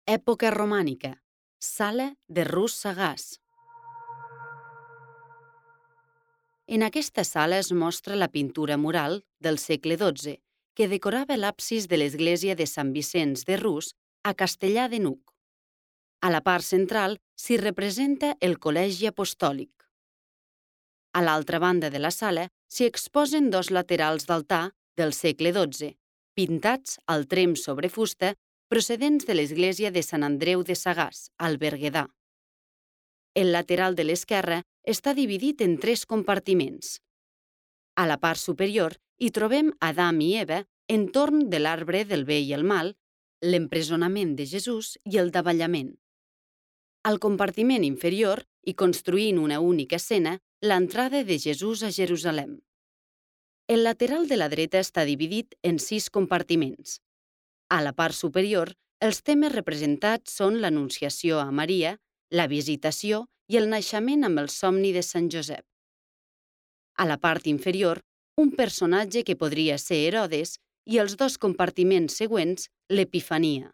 Època romànica. Sala de Rus Sagàs. En aquesta sala es mostra la pintura mural del segle XII que decorava l'absis de l'església de Sant Vicenç de Rus a Castellar de N'Hug. A la part central s'hi representa el Col·legi Apostòlic. A l'altra banda de la sala s'hi exposen dos laterals d'altar del segle XII, pintats al tremp sobre fusta procedents de l'església de Sant Andreu de Sagàs, al Berguedà. El lateral de l'esquerra està dividit en 3 compartiments. A la part superior hi trobem Adam i Eva entorn de l'arbre del bé i el mal, l'empresonament de Jesús i el davallament. Al compartiment inferior, i construint una única escena, l'entrada de Jesús a Jerusalem. El lateral de la dreta està dividit en 6 compartiments. A la part superior, els temes representats són l'Anunciació a Maria, la Visitació i el naixement amb el somni de Sant Josep. A la part inferior, un personatge que podria ser Herodes i els 2 compartiments següents, l'Epifania.